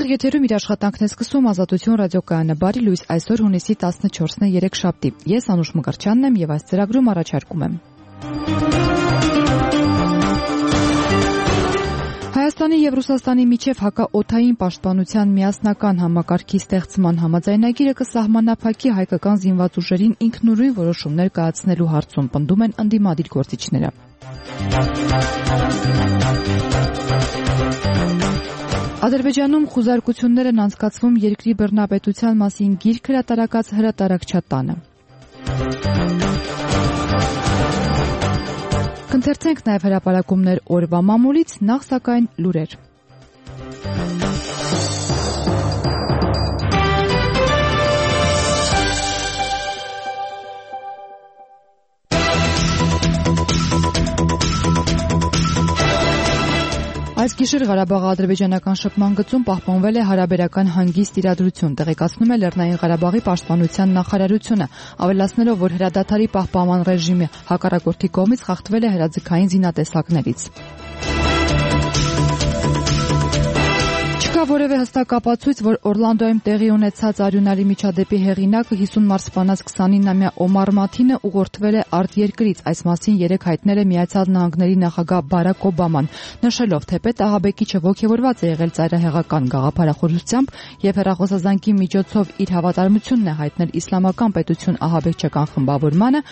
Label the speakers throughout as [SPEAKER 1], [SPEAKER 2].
[SPEAKER 1] Ուղիղ եթերում իր աշխատանքն է սկսում Ազատություն ռադիոկայանը։ Բարի լույս, այսօր հունիսի 14-ն է, երեքշաբթի։ Ես Անուշ Մկրտչյանն եմ եւ այս ծրագրում առաջարկում եմ. Հայաստանի եւ Ռուսաստանի միջև հակաօդային պաշտպանության միասնական համակարգի ստեղծման համաձայնագիրը կսահմանափակի հայկական զինված ուժերին ինքնուրույն որոշումներ կայացնելու հարցում, պնդում են ընդդիմադիր գործիչները։ Ադրբեջանում խուզարկություններ են անցկացվում երկրի բռնապետության մասին գիրք հրատարակած հրատարակչատանը։ Կընթերցենք նաև հրապարակումներ օրվա մամուլից, նախ սակայն լուրեր։ Այս գիշեր Ղարաբաղի ադրբեջանական շփման գծում պահպանվել է հարաբերական հանգիստ իրադրություն, տեղեկացնում է Լեռնային Ղարաբաղի պաշտպանության նախարարությունը, ավելացնելով, որ հրադադարի պահպանման ռեժիմը հակառակորդի կողմից խախտվել է հրաձգային զինատեսակներից։ Չկա որևէ հստակ ապացույց, որ Օրլանդոյում տեղի ունեցած արյունարի միջադեպի հեղինակը 50 մարտ սպանած 29-ամյա Օմար Մաթինը ուղղորդվել է արտերկրից, այս մասին երեկ հայտնել է Միացյալ Նահանգների նախագահ Բարակ Օբաման, նշելով, թեպետ ահաբեկիչը ոգևորված է եղել ծայրահեղական գաղափարախոսությամբ եւ հեռախոսազանգի միջոցով իր հավատարմությունն է հայտնել իսլամական պետություն ահաբեկչական խմբավորմանը,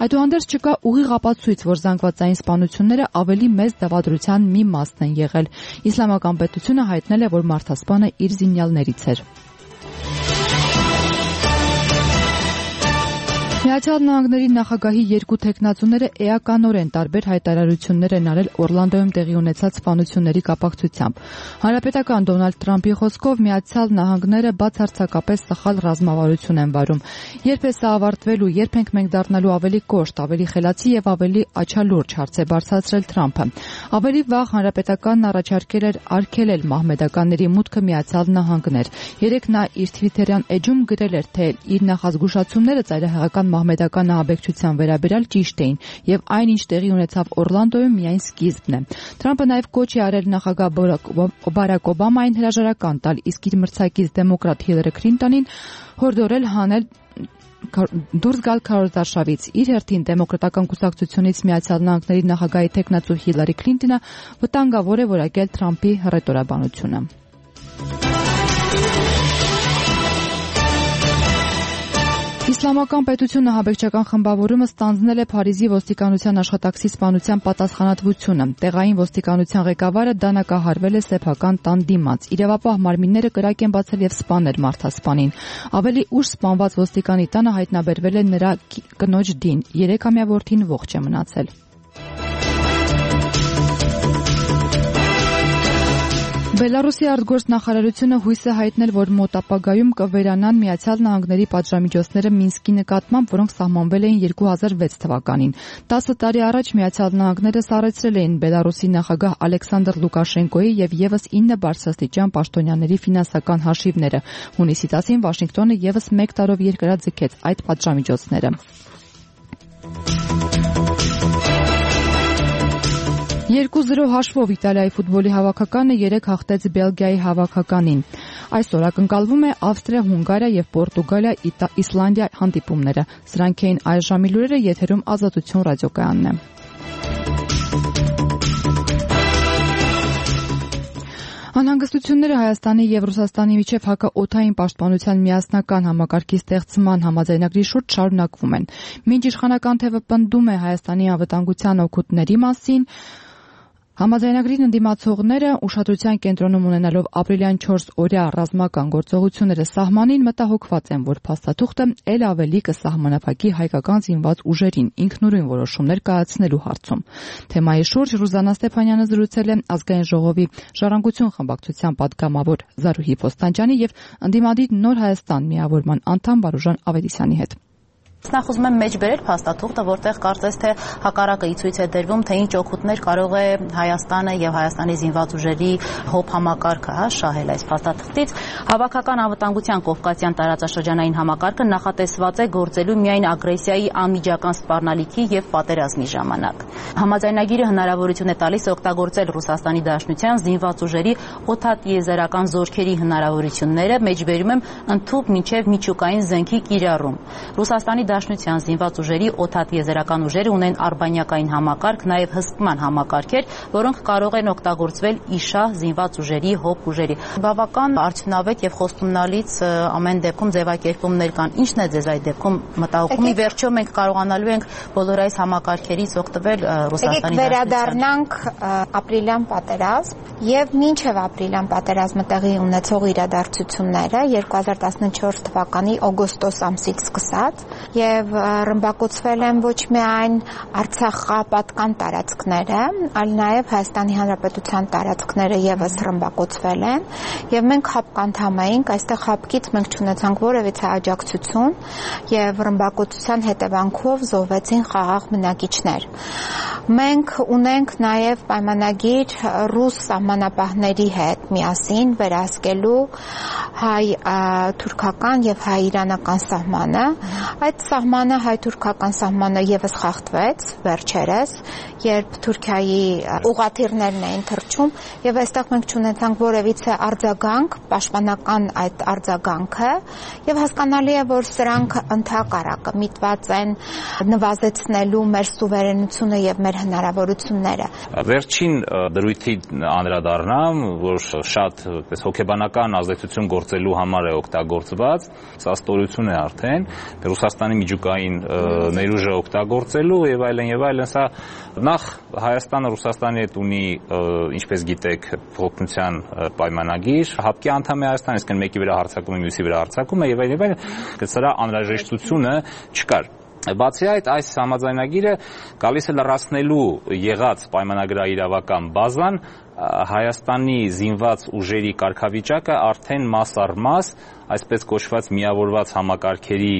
[SPEAKER 1] այդուհանդերձ չկա ուղիղ ապացույց, որ զանգվածային սպանությունները ավելի մեծ դավադրության մի մասն են եղել։ Իսլամական պետությունը հայտնել է, որ մարդասպանը իր զինյալներից էր։ Միացյալ Նահանգների նախագահի երկու թեկնածուները էականորեն տարբեր հայտարարություններ են արել Օրլանդոյում տեղի ունեցած սպանությունների կապակցությամբ։ Հանրապետական Դոնալդ Թրամփի խոսքով Միացյալ Նահանգները բացարձակապես սխալ ռազմավարություն են վարում։ Երբ է սա ավարտվելու, երբ ենք մենք դառնալու ավելի կոշտ, ավելի խելացի եւ ավելի աչալուրջ, հարց է բարձրացրել Թրամփը։ Ավելի վաղ Հանրապետականն առաջարկել էր արգելել մահմեդականների մուտքը Միացյալ Նահանգներ։ Երեկ նա իր Twitter-յան էջում գրել էր, թե իր նախազգուշացումները ծայրահեղական մահմեդական ահաբեկչության վերաբերյալ ճիշտ էին եւ այն, ինչ տեղի ունեցավ Օրլանդոյում, միայն սկիզբն է։ Թրամփը նաեւ կոչ է արել նախագահ Բարակ Օբամային հրաժարական տալ, իսկ իր մրցակից դեմոկրատ Հիլարի Քլինտոնին հորդորել հանել դուրս գալ քարոզարշավից։ Իր հերթին դեմոկրատական կուսակցությունից Միացյալ Նահանգների նախագահի թեկնածու Հիլարի Քլինտոնը վտանգավոր է որակել Թրամփի հռետորաբանությունը։ Իսլամական պետությունը ահաբեկչական խմբավորումը ստանձնել է Փարիզի ոստիկանության աշխատակցի սպանության պատասխանատվությունը։ Տեղային ոստիկանության ղեկավարը դանակահարվել է սեփական տան դիմաց։ Իրավապահ մարմինները կրակ են բացել եւ սպանել մարդասպանին։ Ավելի ուշ սպանված ոստիկանի տանը հայտնաբերվել է նրա կնոջ դին։ 3-ամյա որդին ողջ է մնացել։ Բելարուսի արտգործ նախարարությունը հույս է հայտնել, որ մոտ ապագայում կվերանան Միացյալ Նահանգների պատժամիջոցները Մինսկի նկատմամբ, որոնք սահմանվել էին 2006 թվականին։ 10 տարի առաջ Միացյալ Նահանգները սառեցրել էին Բելարուսի նախագահ Ալեքսանդր Լուկաշենկոյի եւ եւս 9 բարձրաստիճան պաշտոնյաների ֆինանսական հաշիվները։ Հունիսի 10-ին Վաշինգտոնը եւս 1 տարով երկրաձգեց այդ պատժամիջոցները։ 2-0 հաշվով Իտալիայի ֆուտբոլի հավաքականը 3 հաղթեց Բելգիայի հավաքականին։ Այսօր ակնկալվում է Ավստրիա, Հունգարիա եւ Պորտուգալիա Իսլանդիա հանդիպումները։ Սրանք էին այս ժամի լուրերը, եթերում Ազատություն ռադիոկայանն է։ Անհանգստությունները Հայաստանի եւ Ռուսաստանի միջև հակաօդային պաշտպանության միասնական համակարգի ստեղծման համաձայնագրի շուրջ շարունակվում են։ Մինչ իշխանական թևը պնդում է Հայաստանի անվտանգության օգուտների մասին, համաձայնագրին ընդդիմացողները ուշադրության կենտրոնում ունենալով ապրիլյան 4-օրյա ռազմական գործողությունները սահմանին մտահոգված են, որ փաստաթուղթը ել ավելի կսահմանափակի հայկական զինված ուժերին ինքնուրույն որոշումներ կայացնելու հարցում։ Թեմայի շուրջ Ռուզաննա Ստեփանյանը զրուցել է Ազգային ժողովի Ժառանգություն խմբակցության պատգամավոր Զարուհի Փոստանջյանի եւ ընդդիմադիր Նոր Հայաստան միավորման անդամ Վարուժան Ավետիսյանի հետ։
[SPEAKER 2] Նախ ուզում եմ մեջ բերել փաստաթուղթը, որտեղ կարծես թե հակառակը ցույց է դրվում, թե ինչ օգուտներ կարող է Հայաստանը եւ Հայաստանի զինված ուժերի հոբ համակարգը շահել այս փաստաթղթից։ Հավաքական անվտանգության կովկասյան տարածաշրջանային համակարգը նախատեսված է գործելու միայն ագրեսիայի անմիջական սպառնալիքի եւ պատերազմի ժամանակ։ Համաձայնագիրը հնարավորություն է տալիս օգտագործել Ռուսաստանի Դաշնության զինված ուժերի օդատիեզերական զորքերի հնարավորությունները, մեջբերում եմ ընդཐུպ մինչև միջուկային զենքի կիրառում։ Ռուսաստանի Դաշնության զինված ուժերի օդատիեզերական ուժերը ունեն արբանյակային համակարգ, նաև հսկման համակարգեր, որոնք կարող են օգտագործվել իշահ զինված ուժերի հոբ ուժերի։ Բավական արդյունավետ եւ խոստումնալից ամեն դեպքում ձևակերպումներ կան։ Ինչն է ձեզ այդ դեպքում մտահոգում։ Ի վերջո մենք կարողանալու ենք բոլոր այս համակարգերից օգտվել Ռուսաստանի Դաշնության։
[SPEAKER 3] Վերադառնանք ապրիլյան պատերազմ եւ մինչեւ ապրիլյան պատերազմը տեղի ունեցող իրադարձությունները 2014 թվականի օգոստոս ամսից սկսած եւ ռմբակոծվել են ոչ միայն Արցախապատկան տարածքները, այլ նաեւ Հայաստանի Հանրապետության տարածքները եւս ռմբակոծվել են եւ մենք հապկանդամ էինք, այստեղ հապկից մենք չունեցանք որևիցե աջակցություն եւ ռմբակոծության հետևանքով զոհվեցին խաղաղ բնակիչներ։ Մենք ունենք նաեւ պայմանագիր ռուս սահմանապահների հետ միասին վերահսկելու հայ-թուրքական եւ հայ-իրանական սահմանը։ Այդ սահմանը հայ-թուրքական սահմանը եւս խախտվեց վերջերս, երբ Թուրքիայի ուղղաթիռներն էին թռչում եւ այստեղ մենք չունեցանք որևիցե արձագանք, պաշտպանական այդ արձագանքը եւ հասկանալի է, որ սրանք ընդհակառակը միտված են նվազեցնելու մեր սուվերենությունը եւ մեր հնարավորությունները։
[SPEAKER 4] Վերջին դրույթի անդրադառնամ, որ շատ հոգեբանական ազդեցություն գործելու համար է օգտագործված, սա ստորություն է արդեն, Ռուսաստանի միջուկային ներուժը օգտագործելու եւ այլն, սա նախ Հայաստանը Ռուսաստանի հետ ունի, ինչպես գիտեք, փոխնության պայմանագիր, հապկի անդամ է Հայաստանը, այսինքն մեկի վրա հարձակում է, մյուսի վրա հարձակում է եւ այլն, սրա անհրաժեշտությունը չկար։ Բացի այդ, այս համաձայնագիրը գալիս է լրացնելու եղած պայմանագրաիրավական բազան Հայաստանի զինված ուժերի կարգավիճակը արդեն մաս առ մաս, այսպես կոչված միավորված համակարգերի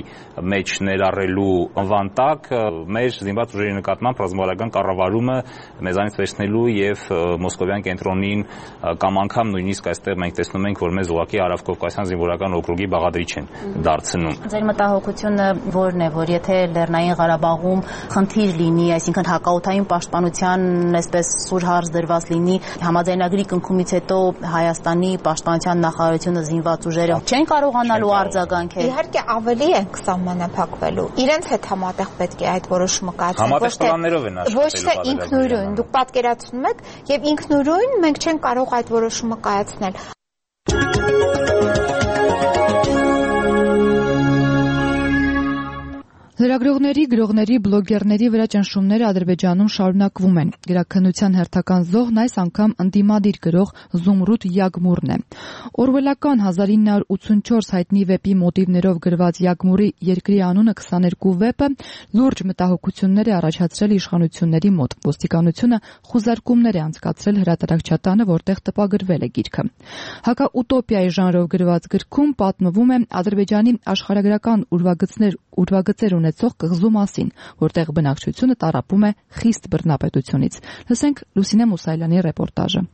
[SPEAKER 4] մեջ ներառելու անվան տակ մեր զինված ուժերի նկատմամբ ռազմավարական կառավարումը մեզանից վերցնելու եւ Մոսկովյան կենտրոնին կամ անգամ նույնիսկ այստեղ մենք տեսնում ենք, որ մեզ ուղղակի Հարավկովկասյան զինվորական օկրուգի բաղադրիչ են դարձնում։
[SPEAKER 2] Ձեր մտահոգությունը որն է, որ եթե Լեռնային Ղարաբաղում խնդիր լինի, այսինքն հակաօդային պաշտպանության այսպես սուր հարց դրված լինի, համաձայնագրի կնքումից հետո Հայաստանի պաշտպանության նախարարությունը զինված ուժերը չեն կարողանալու արձագանքել։
[SPEAKER 3] Իհարկե ավելի ենք սահմանափակվելու։ Իրենց հետ համատեղ պետք է այդ որոշումը կայացնել։
[SPEAKER 4] Համատեղ պլաններով են աշխատելու։
[SPEAKER 3] Ոչ թե ինքնուրույն, դուք պատկերացնում եք, եւ ինքնուրույն մենք չենք կարող այդ որոշումը կայացնել։
[SPEAKER 1] Լրագրողների, գրողների, բլոգերների վրա ճնշումները Ադրբեջանում շարունակվում են։ Գրաքննության հերթական զոհն այս անգամ ընդդիմադիր գրող Զումրուդ Յագմուրն է։ Օրվելական 1984 հայտնի վեպի մոտիվներով գրված Յագմուրի «Երկրի անունը» 22 վեպը լուրջ մտահոգություններ է առաջացրել իշխանությունների մոտ։ Ոստիկանությունը խուզարկումներ է անցկացրել հրատարակչատանը, որտեղ տպագրվել է գիրքը։ Հակաուտոպիայի ժանրով գրված գրքում պատմվում է Ադրբեջանի աշխարհագրական ուրվագծեր ունեցող կղզու մասին, որտեղ բնակչությունը տառապում է խիստ բռնապետությունից։ Լսենք Լուսինե Մուսայելյանի ռեպորտաժը։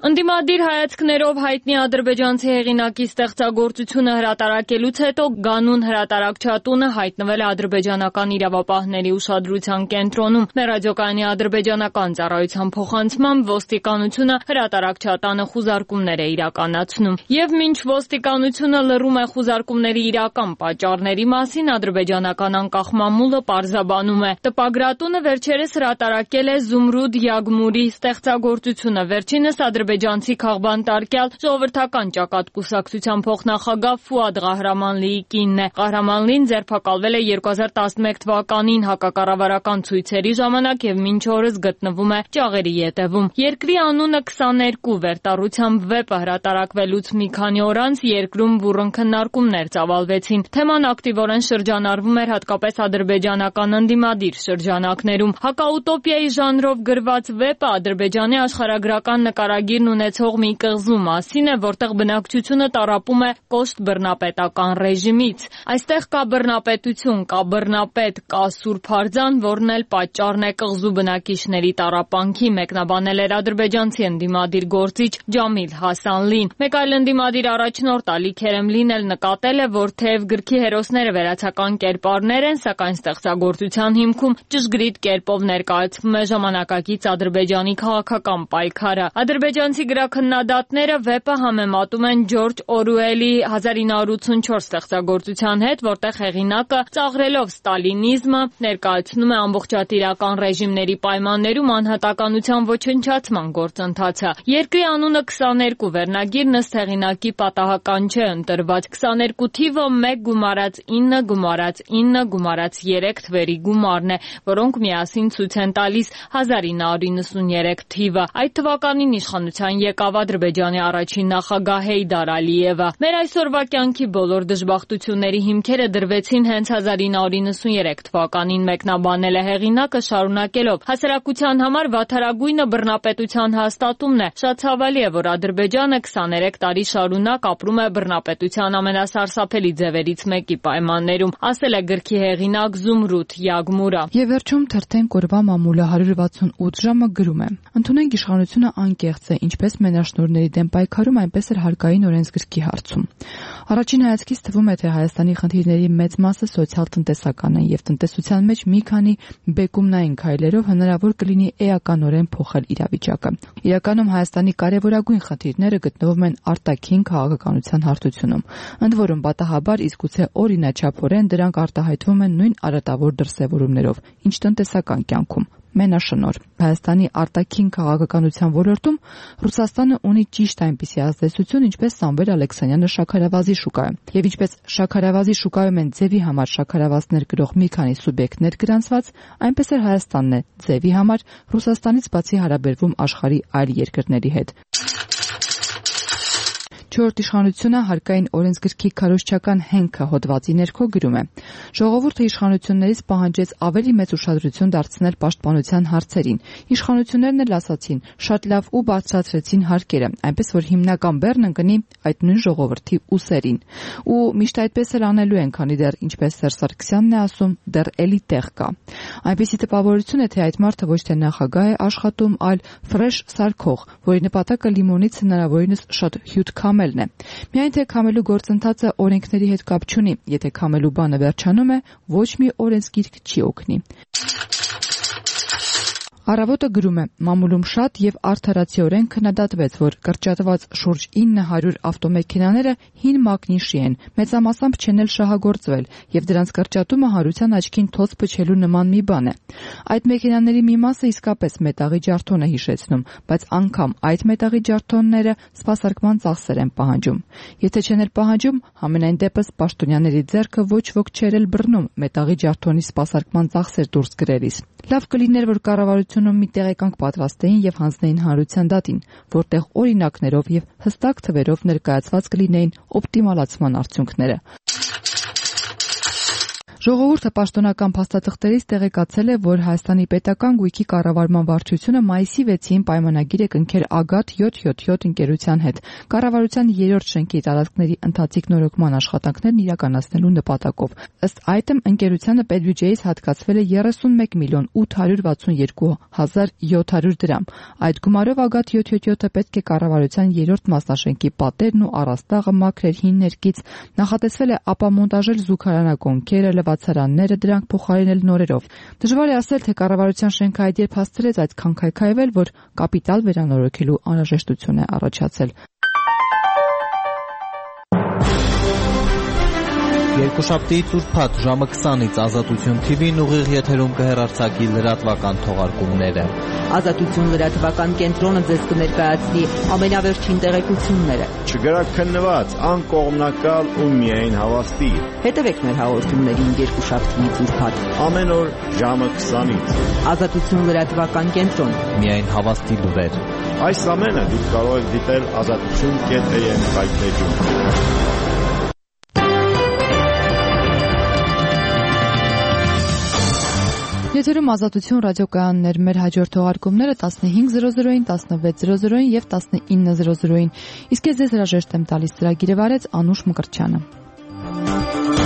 [SPEAKER 5] Ընդդիմադիր հայացքներով հայտնի ադրբեջանցի հեղինակի ստեղծագործությունը հրատարակելուց հետո Գանուն հրատարակչատունը հայտնվել է ադրբեջանական իրավապահների ուշադրության կենտրոնում։ Մեր ռադիոկայանի ադրբեջանական ծառայության փոխանցմամբ ոստիկանությունը հրատարակչատանը խուզարկումներ է իրականացնում։ Եվ մինչ ոստիկանությունը լռում է խուզարկումների իրական պատճառների մասին, ադրբեջանական անկախ մամուլը պարզաբանում է։ Տպագրատունը վերջերս հրատարակել է Զումրուդ Յագմուրի ստեղծագործությունը։ Վերջինս ադրբեջանցի քաղբանտարկյալ ժողովրդական ճակատ կուսակցության փոխնախագահ Ֆուադ Ղահրամանլիի կինն է։ Ղահրամանլին ձերբակալվել է 2011 թվականին հակակառավարական ցույցերի ժամանակ եւ մինչ օրս գտնվում է ճաղերի ետևում։ Երկրի անունը 22 վերտառությամբ վեպը հրատարակվելուց մի քանի օր անց երկրում բուռն քննարկումներ ծավալվեցին։ Թեման ակտիվորեն շրջանառվում էր հատկապես ադրբեջանական ընդդիմադիր շրջանակներում։ Հակաուտոպիայի ժանրով գրված վեպը Ադրբեջանի աշխարհագրական նկարագիրն բնակիչներն ունեցող մի կղզու մասին է, որտեղ բնակչությունը տառապում է կոշտ բռնապետական ռեժիմից։ Այստեղ կա բռնապետություն, կա բռնապետ, կա Սուրբ Արձան, որն էլ պատճառն է կղզու բնակիչների տառապանքի, մեկնաբանել էր ադրբեջանցի ընդդիմադիր գործիչ Ջամիլ Հասանլին։ Մեկ այլ ընդդիմադիր առաջնորդ Ալի Քերեմլին էլ նկատել է, որ թեև գրքի հերոսները վերացական կերպարներ են, սակայն ստեղծագործության հիմքում ճշգրիտ կերպով ներկայացվում է ժամանակակից Ադրբեջանի քաղաքական պայքարը։ Ադրբեջանցի գրաքննադատները վեպը համեմատում են Ջորջ Օրուելի 1984 ստեղծագործության հետ, որտեղ հեղինակը ծաղրելով ստալինիզմը ներկայացնում է ամբողջատիրական ռեժիմների պայմաններում անհատականության ոչնչացման գործընթացը։ Երկրի անունը 22 վերնագիրն ըստ հեղինակի պատահական չէ ընտրված։ 22 թիվը 1 գումարած 9 գումարած 9 գումարած 3 թվերի գումարն է, որոնք միասին ցույց են տալիս 1993 թիվը։ Այդ թվականին իշխանության եկավ Ադրբեջանի առաջին նախագահ Հեյդար Ալիևը։ Մեր այսօրվա կյանքի բոլոր դժբախտությունների հիմքերը դրվեցին հենց 1993 թվականին, մեկնաբանել է հեղինակը, շարունակելով. հասարակության համար վատթարագույնը բռնապետության հաստատումն է։ Շատ ցավալի է, որ Ադրբեջանը 23 տարի շարունակ ապրում է բռնապետության ամենասարսափելի ձևերից մեկի պայմաններում, ասել է գրքի հեղինակ Զումրութ Յագմուրը։
[SPEAKER 1] Եվ վերջում թերթեն կորվա մամուլը 168 ժամը գրում է. ընդունենք իշխանությունը անկեղծ է, ինչպես մենաշնորհների դեմ պայքարում, այնպես էլ հարկային օրենսգրքի հարցում։ Առաջին հայացքից թվում է, թե Հայաստանի խնդիրների մեծ մասը սոցիալ-տնտեսական են եւ տնտեսության մեջ մի քանի բեկումնային քայլերով հնարավոր կլինի էականորեն փոխել իրավիճակը։ Իրականում Հայաստանի կարևորագույն խնդիրները գտնվում են արտաքին քաղաքականության հարթությունում։ Ընդ որում պատահաբար իսկ գուցե օրինաչափորեն դրանք արտահայտվում են նույն արատավոր դրսևորումներով, ինչ տնտեսական կյանքում։ Մենաշնորհ Հայաստանի արտաքին քաղաքականության ոլորտում Ռուսաստանը ունի ճիշտ այնպիսի ազդեցություն, ինչպես Սամվել Ալեքսանյանը շաքարավազի շուկայում։ Եվ ինչպես շաքարավազի շուկայում են ձևի համար շաքարավազներ գրող մի քանի սուբյեկտներ գրանցված, այնպես էլ Հայաստանն է ձևի համար Ռուսաստանից բացի հարաբերվում աշխարհի այլ երկրների հետ։ Չորրորդ իշխանությունը հարկային օրենսգրքի քարոզչական հենքը հոդվածի ներքո գրում է. ժողովուրդը իշխանություններից պահանջեց ավելի մեծ ուշադրություն դարձնել պաշտպանության հարցերին։ Իշխանություններն էլ ասացին շատ լավ ու բարձրացրեցին հարկերը, այնպես որ հիմնական բեռն ընկնի այդ նույն ժողովրդի ուսերին։ Ու միշտ այդպես էլ անելու են, քանի դեռ ինչպես Սերժ Սարգսյանն է ասում, դեռ էլի տեղ կա։ Այնպիսի տպավորություն է, թե այդ մարդը ոչ թե նախագահ է աշխատում, այլ ֆրեշ սարքող, որի նպատակը լիմոնից հնարավորինս շատ հյութ քամելն է։ Միայն թե քամելու գործընթացը օրենքների հետ կապ չունի, եթե քամելու բանը վերջանում է, ոչ մի օրենսգիրք չի օգնի։ Առավոտը գրում է. մամուլում շատ եւ արդարացիորեն քննադատվեց, որ կրճատված շուրջ 900 ավտոմեքենաները հին մակնիշի են, մեծամասամբ չեն էլ շահագործվել, եւ դրանց կրճատումը հարության աչքին թոց փչելու նման մի բան է։ Այդ մեքենաների մի մասը իսկապես մետաղի ջարդոն է հիշեցնում, բայց անգամ այդ մետաղի ջարդոնները սպասարկման ծախսեր են պահանջում։ Եթե չեն էլ պահանջում, համենայն դեպս պաշտոնյաների ձեռքը ոչ ոք չէր էլ բռնում մետաղի ջարդոնի սպասարկման ծախսեր դուրս գրելիս։ Լավ կլիներ, որ կառավարությունում մի տեղեկանք պատրաստեին եւ հանձնեին հանրության դատին, որտեղ օրինակներով եւ հստակ թվերով ներկայացված կլինեին օպտիմալացման արդյունքները։ Ժողովուրդը պաշտոնական փաստաթղթերից տեղեկացել է, որ Հայաստանի պետական գույքի կառավարման վարչությունը մայիսի 6-ին պայմանագիր է կնքել Ագատ 777 ընկերության հետ կառավարության 3-րդ շենքի տարածքների ընթացիկ նորոգման աշխատանքներն իրականացնելու նպատակով։ Ըստ այդմ ընկերությանը պետբյուջեից հատկացվել է 31 միլիոն 862 հազար 700 դրամ։ Այդ գումարով Ագատ 777-ը պետք է կառավարության 3-րդ մասնաշենքի պատերն ու առաստաղը մաքրել հին ներկից, նախատեսվել է ապամոնտաժել զուգարանակոնքերը, ցարանները դրանք փոխարինել նորերով։ Դժվար է ասել, թե կառավարության շենքը այդ երբ հասցրեց այդքան քայքայվել, որ կապիտալ վերանորոգելու անհրաժեշտություն է առաջացել։
[SPEAKER 6] Երկուշաբթիից ուրբաթ ժամը 20-ից Ազատություն TV-ն ուղիղ եթերում կհեռարձակի լրատվական թողարկումները։
[SPEAKER 7] Ազատություն լրատվական կենտրոնը ձեզ կներկայացնի ամենավերջին տեղեկությունները։
[SPEAKER 8] Չգրաքննված, անկողմնակալ ու միայն հավաստի։
[SPEAKER 7] Հետևեք մեր հաղորդումներին երկուշաբթիից ուրբաթ
[SPEAKER 8] ամեն օր ժամը 20-ից։
[SPEAKER 7] Ազատություն լրատվական կենտրոն։
[SPEAKER 6] Միայն հավաստի լուրեր։
[SPEAKER 8] Այս ամենը դուք կարող եք դիտել azatutun.am վայրէջում։
[SPEAKER 1] Եթերում Ազատություն ռադիոկայաններ, մեր հաջորդ թողարկումները 15:00-ին, 16:00-ին եւ 19:00-ին։ Իսկ ես ձեզ հրաժեշտ եմ տալիս, ծրագիրը վարեց Անուշ Մկրտչյանը։